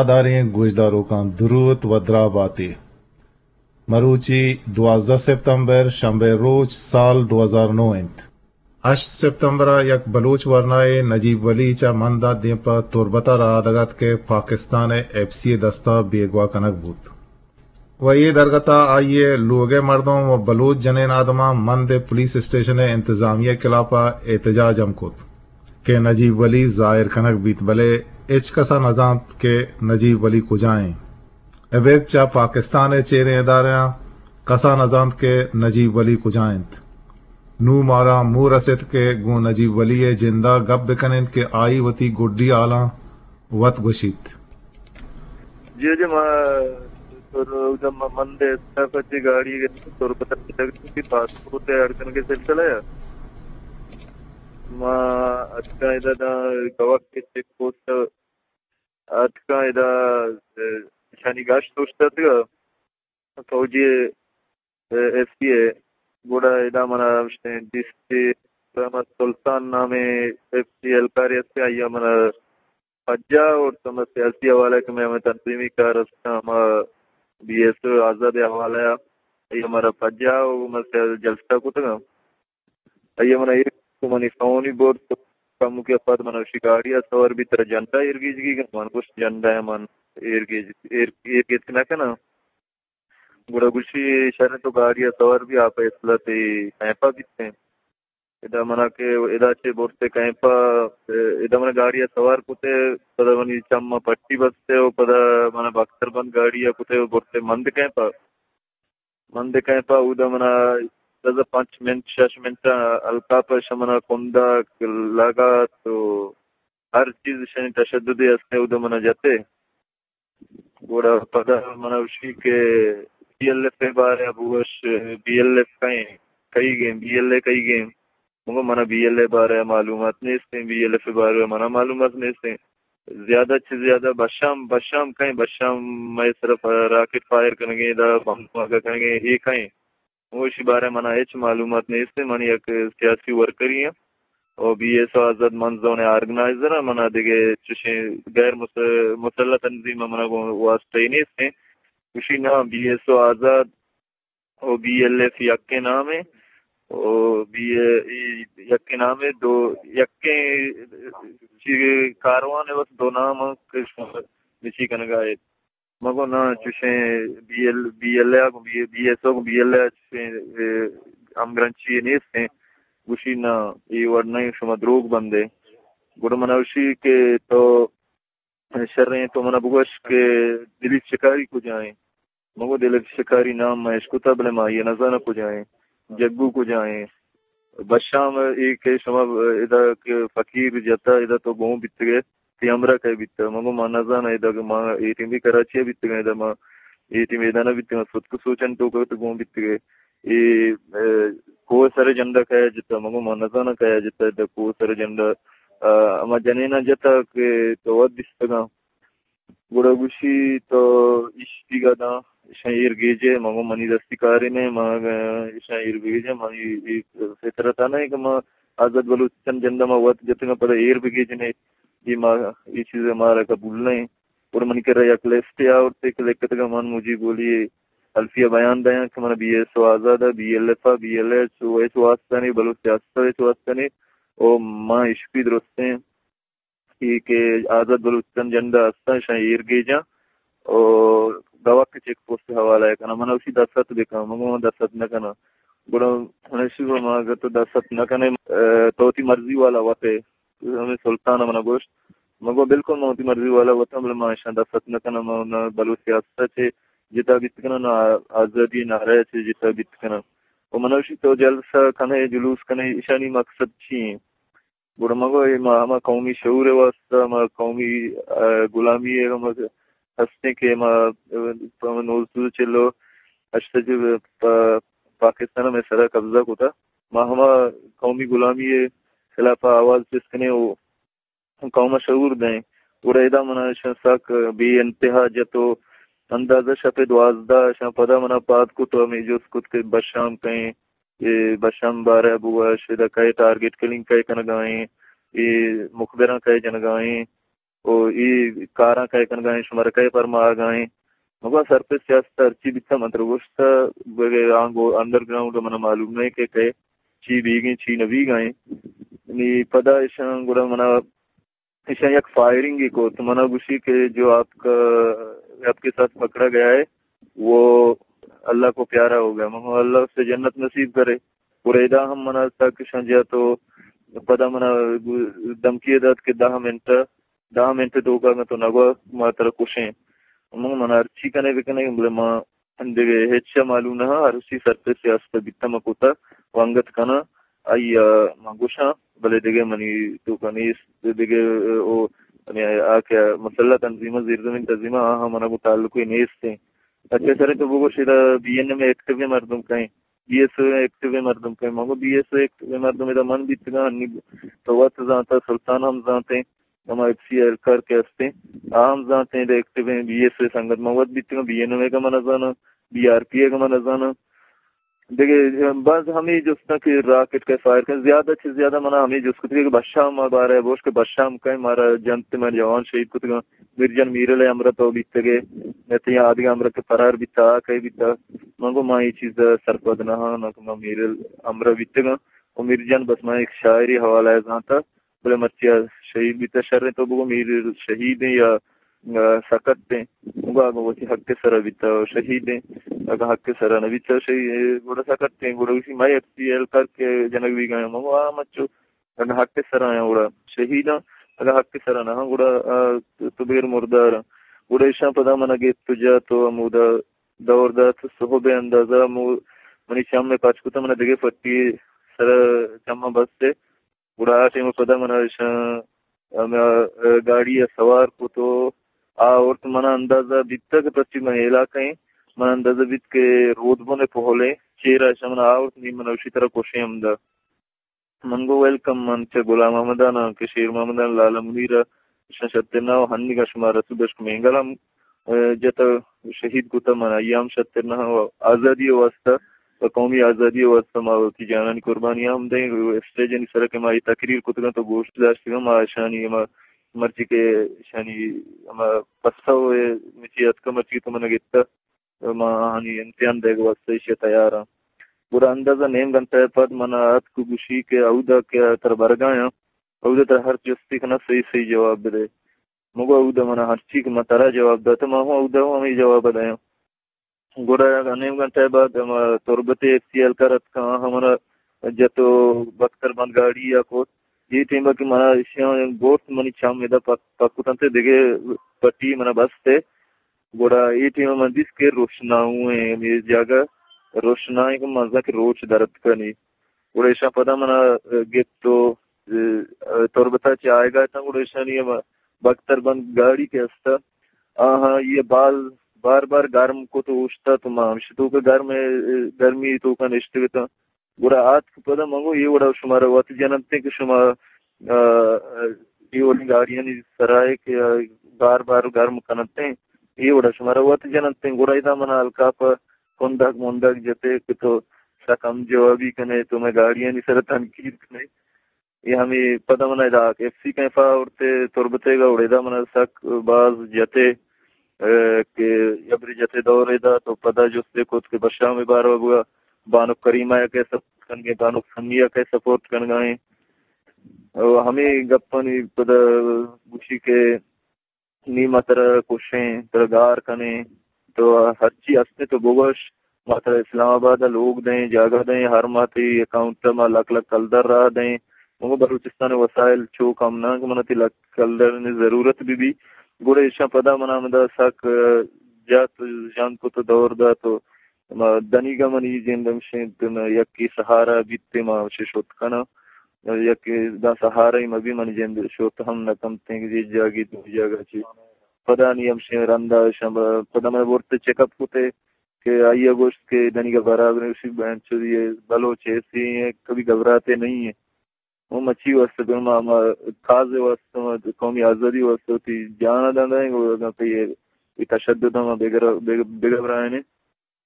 داریں گوشداروکاں دروت و دراہ باتے۔ مروچی دوازدہ سپتمبر، شنبہ روچ، سال دو ہزار نو انت۔ ہشت سپتمبر ءَ یک بلوچ ورنائے نجیب ولی چہ مند ءَ دیم پہ تربت ءَ رہادگ ات کہ پاکستان ءِ ایف سی ءِ دست ءَ بیگواہ کنگ بوت۔ و اے درگت ءَ آئی ءِ لوگ ءِ مردم و بلوچ جنین آدماں مند ءِ پولیس اسٹیشن ءِ انتظامیہ ءِ خلاف ءَ احتجاج ہم کت کہ نجیب ولی ظاہر کنگ بیت، بلے ہچ کس ءَ نہ زانت کہ نجیب ولی کجا ایں۔ ابید چہ پاکستان ءِ چیریں ادارہاں کس ءَ نہ زانت کہ نجیب ولی کجا انت۔ نوں مارا موہ رست کہ گوں نجیب ولی ءِ جند ءَ گپ بہ کن انت کہ آئی وتی گڈی حالاں وت گوشیت۔ جی، جی، ما، تو، تو، من دے، پچے گاڑی گئے، تو پتہ چلے کہ پاسپورٹ ءِ اڑ کنگ ءِ سلسلہ ءَ۔ ما اتکاں ادا داں گواہ کے چیک پوسٹ اتکاں ادا، اے، شانی گشت اوشتاتگ۔ فوجی، اے، ایف سی ءِ، گڑا ادا منا گوشتیں ڈی سی احمد سلطان نامیں ایف سی اہلکارے است، آئی ءَ منا پجا اور تو ہمے سیاسی حوالہ کہ مئے ہمے تنظیمی کار است، ہما بی ایس او آزاد ءِ حوالہ ءَ آئی ءَ مارا پجا و ہما سیاسی جلسہ کتگ۔ آئی ءَ منا ایر کو منی فون ئی برت، کمکے ءَ پد منا گوشی گاڑی ءَ سوار بی، ترا جنڈا ایر گیجگی کہ؟ من گوشت جنڈا ءَ من ایر گیج، ایر، ایر گیتک نہ کناں۔ گڑا گوشی، شر، تو گاڑی ءَ سوار بی، آ فیصلہ تئی کیمپ ءَ بیتیں۔ ادا منا کہ ادا چہ برتے کیمپ ءَ، ادا منا گاڑی ءَ سوار کتے، پدا منی چم ءَ پٹی بستے و پدا منا بختر بند گاڑی ءَ کتے و برتے مند کیمپ ءَ۔ مند کیمپ ءَ اودا منا دز پنچ منٹ، شش منٹ ءَ الکاپ ءَ شہ منا کنڈ ءَ لگا تو ہر چیز شنی تشددے ہستے اودا منا جتے۔ گڑا پدا منا گوشی کہ بی ایل ایف ءِ بارہ ءَ بگوش، بی ایل ایف کئیں، کئیگیں، بی ایل اے کئیگیں؟ من گو منا بی ایل اے بارہ ءَ معلومات نیستیں، بی ایل ایف ءِ بارہ ءَ منا معلومات نیستیں۔ زیادہ چہ زیادہ بشام، بشام کئیں، بشام مئے سرا راکٹ فائر کنگیں، دا بم دھماکہ کنگیں، اے کئیں؟ من گو اشی بارہ ءَ منا ہچ معلومات نیستیں، من یک سیاسی ورکرے آں۔ او بی ایس او آزاد مند زون ءِ آرگنائزر آں، منا دگہ چشیں غیر مس-، مسلح تنظیم ءَ منا گوں واسطہ ای نیستیں۔ گوشی نا، بی ایس او آزاد او بی ایل ایف یکیں نامے، او بی، ای یکیں نامے، دو یکیں چی کاروان ءِ، بس دو نام آں کہ شما بچی کنگا ایت۔ من گو نا، چوشیں بی ایل، بی ایل اے ءَ گوں بی، بی ایس او گوں بی ایل اے ءَ چوشیں، اے، ہمگرنچی نیستیں۔ گوشی نا، اے وڑ نہ، شما دروگ بندے۔ گڑا منا گوشی کہ تو شریں، تو منا بگوش کہ دلیپ شکاری کجا ایں؟ من گو دلیپ شکاری نام من اشکتا، بلے ما آئی ءَ نزاناں کجا ایں، جگو کجا ایں۔ بشام اے کہ شما ادا کہ فقیر جتا، ادا تو گون بیتگے، تئی ہمراہ کئے بیتگ؟ من گو ما نزاناں، ادا کہ ما اے ٹیم بھی کراچی ءَ بیتگاں، ادا ما اے ٹیم ادا نہ بیتگاں، ستک سوچن توک ءَ تو گون بیتگے۔ اے، اے، کوہ سر جنڈا کئے جتا؟ من گو ما نزاناں کئے جتا، ادا کوہ سر جنڈا، آ، ہما جنیناں جتا کہ تو وت دیستگاں۔ گڑا گوشی تو ایشی گا داں، ایشاں ایر گیجے۔ من گو منی دستی کارے نہ، ما ایشاں ایر بگیجاں، منی اے فطرت ءَ نہ کہ ما آزاد بلوچستان جنڈا ما وت جتگاں پدا ایر بگیجنے، اے ما، اے چیز مارا قبول نہ۔ گڑا منی کرا یک لسٹے آورتے کہ لکھتگا من مجیب ولی الفیہ بیان دیاں کہ من بی ایس او آزاد ءَ، بی ایل ایف ءَ، بی ایل ایچ او ہچ واسطہ نے، بلوچ سیاست ءَ ہچ واسطہ نے، او ما اشپی درستیں اے کہ آزاد بلوچستان جنڈا ہستاں، اشاں ایر گیجاں او گواکے چیک پوسٹ ءِ حوالہ ءَ کناں۔ من اشی دست بکن، من گو من دست نہ کناں۔ گڑا من اشی گو ما اگر تو دست نہ کنے، اے، تو وتی مرضی والا وت ئے۔ ہمے سلطان ءَ من ءَ گوشت، من گو بالکل من وتی مرضی والا وتاں، بلے من اشاں دست نہ کناں، من نہ بلوچ سیاست ءَ چہ جتا بیت کناں، نہ آزادی نعرہ ءَ چہ جتا بیت کناں۔ و من ءَ گوشی تو جلسہ کنے، جلوس کنے، اشانی مقصد چی ایں؟ گڑا من گو، اے ما ہما قومی شعور ءِ واسطہ، ہما قومی، آ، غلامی ءِ ہما ہستیں کہ ما، آ، نوزدہ چل و ہشت ءَ چہ پا-، پاکستان ءَ مئے سرا قبضہ کتا۔ ما ہما قومی غلامی ءِ خلاف ءَ آواز چست کنیں و قوم ءَ شعور دئیں۔ گڑا ادا من ءَ اشاں سک بے انتہا جت و اندازہ شپ ءِ دوازدہ اشاں پدا من ءَ پاد کت و ہمے جست کت کہ بشام کئیں، اے بشام بارہ ءَ بگوش، ادا کئے ٹارگٹ کلنگ کئے کنگا ایں، اے مخبراں کئے جنگا ایں۔ و اے کاراں کئے کنگا ایں، شمارا کئے پرماہگا ایں؟ مگو سرپد سیاست ہرچی بیتا من ترا گوشتا، بگے آنگو انڈر گراؤنڈ منا معلوم نہ کہ کئے چی بیگیں چی نہ بیگا ایں۔ نی پدا اشاں گڑا منا اشاں یک فائرنگے کت، منا گوشی کہ جو آپ کا، آپ کے ساتھ پکڑا گیا ہے، وہ اللہ کو پیارا ہو گیا۔ من گو اللہ اس سے جنت نصیب کرے۔ گڑا ادا ہم منا تک اشاں جا تو پدا منا دھمکی دات کہ دہ منٹ، دہ منٹ توکا اگاں تو نگو ما ترا کشیں۔ من گو منا ہرچی کنے بکنے، بلے ما دگہ ہچ ء معلوم نہ، ہرچی سرپد سیاست ء بیتہ من کتہ و انگت کناں، آئی ء من گوشاں، بلے دگہ منی توکا نیست، دگہ او، یعنی آ کہ مسلح تنظیماں، زیرزمین تنظیماں، آہاں منا گوں تعلقے نیست انت۔ اچھا سر، تو بگوش ادا بی این ایم ایکٹیو مردم کئے، بی ایس او ایکٹیو مردم کئے؟ من گو بی ایس او ایکٹیو مردم ادا من بیتگاں، انی تو وت زانتہ، سلطان ہم زانتے، ہما ایف سی اہلکار کہ ہستیں، آ ہم زانتیں، دے ایکٹیو ایں، بی ایس اے سنگت من وت بیتگاں، بی این ایم اے کہ من نزاناں، بی آر پی اے کہ من نزاناں۔ دگہ باز ہمے جستاں کہ راکٹ کئے فائر کن، زیادہ چہ زیادہ منا ہمے جست کتگ کہ بشام بارے بوش کہ بشام کئے مارا جنت، مئے جوان شہید کتگاں، میرجان میرل ء ہمراہ تو بیتگے، نہ تئی آدگہ ہمراہ کہ فرار بیتا، آ کئے بیتا۔ من گو ما اے چیز ء سرپد نہ آں، نہ کہ ما میرل ہمراہ بیتگاں۔ و میرجان بس من یک شاعری حوالہ ء زانتا۔ بلے مرچی آ شہید بیتہ، شریں تو بگو میر شہید ایں یا، آ، سکت ایں؟ بگو اگاں وتی حق ء سرا بیتہ شہید ایں، اگاں حق ء سرا نہ بیتہ شہید، گڑا سکت ایں، گڑا اسی مئے ایف سی اہلکار کہ جنگ بیگا ایں، مگو آ مچو اگاں حق ء سرا ایں گڑا شہید آں، اگاں حق ء سرا نہ آں گڑا، آ، تو بیر مردار آں۔ گڑا ایشاں پدا منا گپت و جات و ہمودا دور دات، صحب ء اندازہ مو-، منی چم ء پچ کتہ، منا دگہ پٹی سرا چماں بست ء۔ گڑا آ ٹائم ء پدا منا اشاں ہما گاڑی ء سوار کت و آورت۔ منا اندازہ بیتگ کہ پرچی مئے علاقہ ایں، منا اندازہ بیت کہ رودبن ء پہل ایں، چیرا اشاں منا آورت، نی منا اشی ترا کشیں ہمدا۔ من گو ویلکم، من چہ غلام محمدان آں کہ شیر محمدان، لالا منیر ء اشاں شتر نہ و ہنیگا شما رسول دشک مینگل ہم، ء، جت ء شہید کت، من آئی ہم شتر نہ و آزادی ء واستہ، و قومی آزادی ء واستہ ما وتی جانانی قربانی ہم دئیں۔ اسٹیجانی سرا کہ ما اے تقریر کتگاں تو گوش داشتگاں، ما اشانی ہما مرچی کہ اشانی ہما پسو ء مچی اتکہ، مرچی تو من گپتہ، ما آہانی امتحان دئیگ ء واستہ ایشی ء تیار آں۔ گڑا اندازہ نیم گھنٹہ ء پد من ء اتک ء گوشی کہ اودا کہ ترا برگایاں، اودا ترا ہر جستے کناں، صحیح صحیح جواب بدئے۔ مگو اودا من ء ہرچی کہ من ترا جواب داتہ، من ہوں اودا ہوں ہمے جواب ء دیاں۔ گڑا نیم گھنٹہ ء بعد ہما تربت ء ایف سی اہلکار اتکاں، آہاں من ء جت و بختر بند گاڑی ء کت۔ اے ٹیم ء کہ من ء ایشاں برت، منی چم ادا پک، پک کت انت ء دگہ پٹی من ء بست ء۔ گڑا اے ٹیم ء من دیست کہ روشناؤں ء ہمے جاگہ روشنائیں کہ من زاں کہ روچ در اتکہ نی۔ گڑا ایشاں پدا من ء گپت و، ء، تربت ء چہ آیگ ء اتاں، گڑا ایشانی ہما بختر بند گاڑی کہ است ء، آہاں یہ بال بار بار گرم کت و اوشتات و ما ہمشی توک ء گرم، گرمی توک ء نشتگ اتاں۔ گڑا آتک پدا من گو اے وڑا شمارا وت جننت کہ شما، آ، اے وڑیں گاڑیانی سرا ء کہ بار بار گرم کننت، اے وڑا شمارا وت جننت۔ گڑا ادا من الکاپ ء کندگ مندگ جتے کہ تو سک ہم جوابی کنے، تو مئے گاڑیانی سرا تنقید کنے۔ اے ہمے پدا من ادا ایف سی کیمپ ء آورتے تربتیگ ء، گڑا ادا من سک باز جتے۔ ء، کہ یبرے جتے دور ء دات و پدا جستے کت کہ بشام ء بارو بگا بانک کریمہ ء کئے سپورٹ کنگے، بانک سمیہ ء کئے سپورٹ کنگا ایں۔ و ہمے گپانی پدا گوشی کہ نی ما ترا کشیں، ترا گار کنیں، تو ہرچی ہستے تو بگوش، ما ترا اسلام آباد ء لوگ دیں، جاگہ دیں، ہر ماہ تئی اکاؤنٹ ء ما لکھ لکھ کلدار راہ دیں۔ مگو بلوچستان ء وسائل چو کم نہ کہ من ء تئی لکھ کلدارانی ضرورت بہ بی۔ گڑا ایشاں پدا من ء ہمدا سک، ء، جت، ژند کت و دور دات و ما دنیگا منی جند ہمشیں، یکے سہارا بیت، ما ہمشے شت کناں۔ یکے داں سہارا مہ بی، منی جند شت ہم نہ کنت، یک جاگے دو جاگہ چی۔ پدا نی ہمشیں رندا شم، پدا من برت چیک اپ کتے کہ آئی ء گوشت کہ دنیگا برابر اسی بہن چودی بلوچ ایسے ہیں، کبھی گھبراتے نہیں ہیں۔ وہ مچی واسطے پہ ما، ما کاز واسطے، ما قومی آزادی واسطے ہوتی جانا دانا ہے، وہ اگر پہ یہ، یہ تشدد ہم بگر، بگر، بگھبرائے نے۔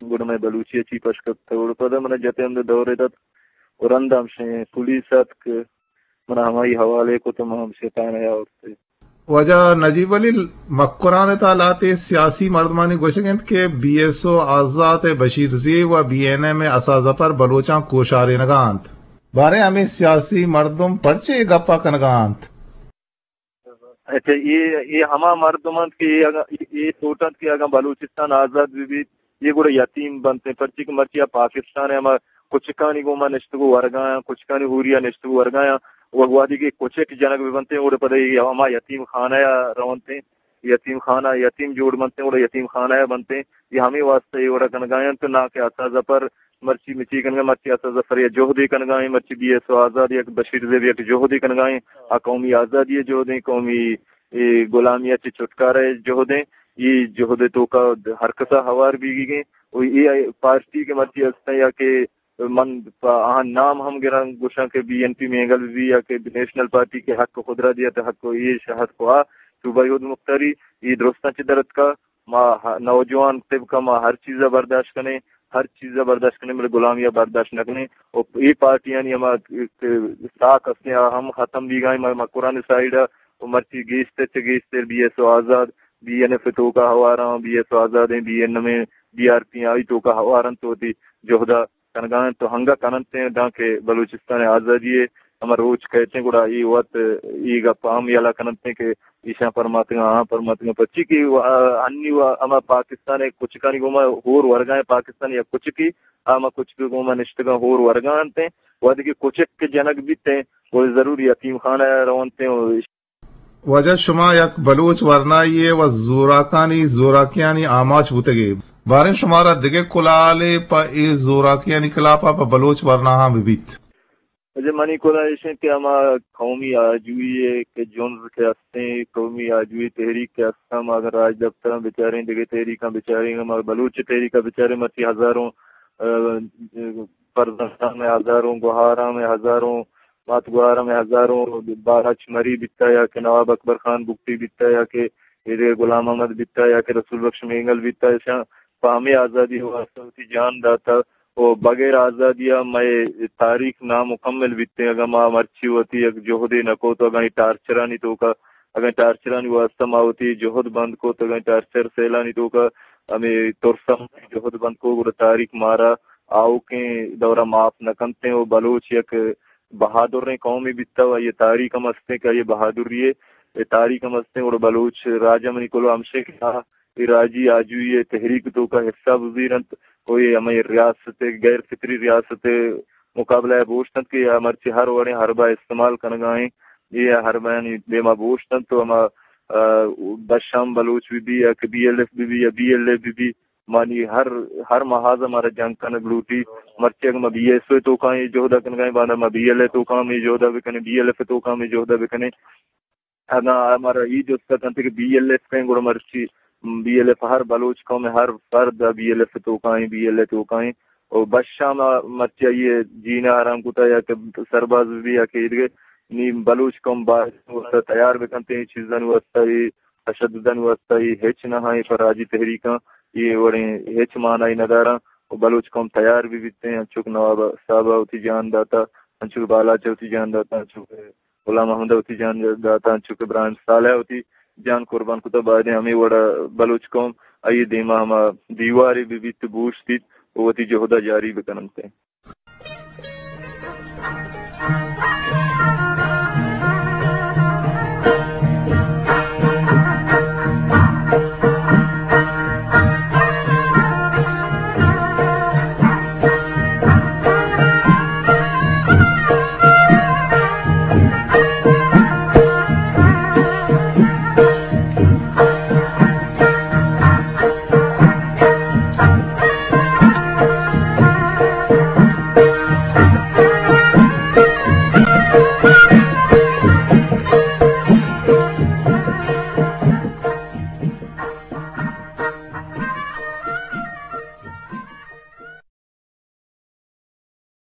گڑا مئے بلوچی ء چی پش کپتہ، گڑا پدا من ء جتے ہمدا دورے دات و رند ہمشیں پولیس اتک، من ء ہمائی حوالے کت، من ہمشیں تھانہ ء آورتے۔ واجہ نجیب علی، مکران ءِ تہا لہتے سیاسی مردمانی گوشگ انت کہ بی ایس او آزات ءِ بشیر زیب و بی این ایم ءِ اسا ظفر بلوچاں کوشارینگا انت۔ باریں ہمے سیاسی مردم پرچے اے گپا کنگا انت؟ اچھا، اے، اے ہما مردم انت کہ اے اگاں، اے، اے سوچ انت کہ اگاں بلوچستان آزاد بہ بیت، اے گڑا یتیم بنت، پرچے کہ مرچی آ پاکستان ءِ ہما کچکانی گوما نشتگ و ورگایاں، کچکانی ہوریا نشتگ و ورگایاں، و وہدے کہ کچک جنگ بہ بنت، گڑا پدا اے ہما یتیم خانہ ءَ رونت، یتیم خانہ، یتیم جوڑ بنت، گڑا یتیم خانہ ءَ بنت۔ اے ہمے واسطہ اے وڑا کنگا انت، نہ کہ اسا ظفر مرچی مچی کنگا، مرچی اسا ظفر یا جہدے کنگا ایں، مرچی بی ایس او آزاد یک بشیر زیب یک جہدے کنگا ایں، آ قومی آزادی ءِ جہدیں، قومی اے غلامی ءَ چہ چھٹکارہ ءِ جہدیں، اے جہد ءِ توکا ہر کسا ہوار بیگی گیں۔ و اے پارٹی کہ مرچی ہستیں یا کہ من پہ آہاں نام ہم گراں گوشاں کہ بی این پی مینگل بہ بی یا کہ نیشنل پارٹی کہ حق خود را دیا تو حق و ایش حق و آ صوبہ یہود مختاری، اے درستاں چہ درتکا۔ ما ہ-، نوجوان طبقہ ما ہر چیز ءَ برداشت کنیں، ہر چیز ءَ برداشت کنیں، بلے غلامی ءَ برداشت نہ کنیں۔ و اے پارٹیانی ہما ساک ہستیں آ ہم ختم بیگائیں، ما، مکران سائیڈ ءَ و مرچی گیشتر چہ گیشتر بی ایس او آزاد، بی این ایف ءِ توکا ہواراں، بی ایس او آزادیں، بی این ایم ایں، بی آر پی آئی توکا ہوار انت، وتی جہدا کنگا انت تو ہنگا کننت دانکہ بلوچستان ءِ آزادی ءِ ہما روچ کئیت گڑا اے وت اے گپ ہم یلہ کننت کہ ایشاں پرماتگاں، آہاں پرماتگاں، پرچی کہ و-، انی و ہما پاکستان ءِ کچکانی گوما ہور ورگا ایں، پاکستان یک کچکے، آ ہما کچک ءِ گوما نشتگاں ہور ورگا انت، وہدے کہ کچک کہ جنگ بیت، وہ ضرور یتیم خانہ ءَ رونت۔ واجہ، شما یک بلوچ ورنائے و زوراکانی زوراکیانی آماچ بوتگے۔ باریں شمارا دگہ کلالے پہ اے زوراکیانی خلافا پہ بلوچ ورناہاں بہ بیت؟ واجہ، منی کلال ایش انت کہ ہما قومی آجوئی ءِ کہ جنز کہ ہستیں، قومی آجوئی تحریک کہ ہستاں، ما اگر راج دفتراں بچاریں، دگہ تحریکاں بچاریں، ما بلوچ تحریکا بچاریں، مرچی ہزاروں، آ، فرزنداں مئے، ہزاروں گوہاراں مئے، ہزاروں مات گوہاراں مئے، ہزاروں بالاچ مری بیتا یا کہ نواب اکبر خان بگٹی بیتا یا کہ ایدگہ غلام احمد بیتا یا کہ رسول بخش مینگل بیتا، ایشاں پہ ہمے آزادی ءِ واسطہ وتی جان داتا۔ و بغیر آزادی ءَ مئے تاریخ نامکمل بیتیں۔ اگاں ما مرچی وتی یک جہدے نہ کت، اگاں اے ٹارچرانی توکا، اگاں ٹارچرانی واسطہ ما وتی جہد بند کت، اگاں ٹارچر سیلانی توکا ہمے ترس ءَ جہد بند کت، گڑا تاریخ مارا آؤکیں دورا معاف نہ کنتیں۔ و بلوچ یک بہادریں قومے بیتا و آئی ءِ تاریخ ہم ہستیں کہ آئی ءِ بہادری ءِ تاریخ ہم ہستیں۔ گڑا بلوچ راج ءَ منی کلو ہمشیں کہ آ اے راجی آجوئی ءِ تحریک ءِ توکا حصہ بزیر انت و اے ہمے ریاست ءِ، غیر فطری ریاست ءِ مقابلہ ءَ بوشت انت کہ آ مرچی ہر وڑیں حربہ استعمال کنگا ایں۔ اے حربانی دیما بوشت انت و ہما، آ، بشام بلوچ بہ بی یا کہ بی ایل ایف بہ بی یا بی ایل اے بہ بی، مانی ہر، ہر محاذ ءَ مارا جنگ کنگ لوٹی۔ مرچی اگاں ما بی ایس او ءِ توکا ایں جہد ءَ کنگا ایں، باندا ما بی ایل اے ءِ توکا ہم اے جہد ءَ بکنیں، بی ایل ایف ءِ توکا ہم اے جہد ءَ بکنیں۔ اگاں مارا اے جست ءَ کنت کہ بی ایل ایف کئے، گڑا مرچی بی ایل ایف ہر بلوچ قوم ءِ ہر فرد بی ایل ایف ءِ توکا ایں، بی ایل اے ءِ توکا ایں۔ و بشام ءَ مرچی آئی ءِ جینا حرام کتا یا کہ سرباز بہ بی یا کہ ایدگہ، نی بلوچ قوم باید واسطہ تیار بکنت اے چیزانی واسطہ، اے تشددانی واسطہ، اے ہچ نہ ایں، پر راجی تحریکاں اے وڑیں ہچ معنی نہ داراں۔ و بلوچ قوم تیار بہ بیت ایں، انچو کہ نواب صاحب ءَ وتی جان داتا، انچو کہ بالاچ ءَ وتی جان داتا، انچو کہ غلام محمد ءَ وتی جان داتا، انچو کہ ابراہیم صالح ءَ وتی جان قربان کتا، بایدیں ہمے وڑا بلوچ قوم آئی ءِ دیما ہما دیوارے بہ بیت، بوشتیت و وتی جہدا جاری بکننت۔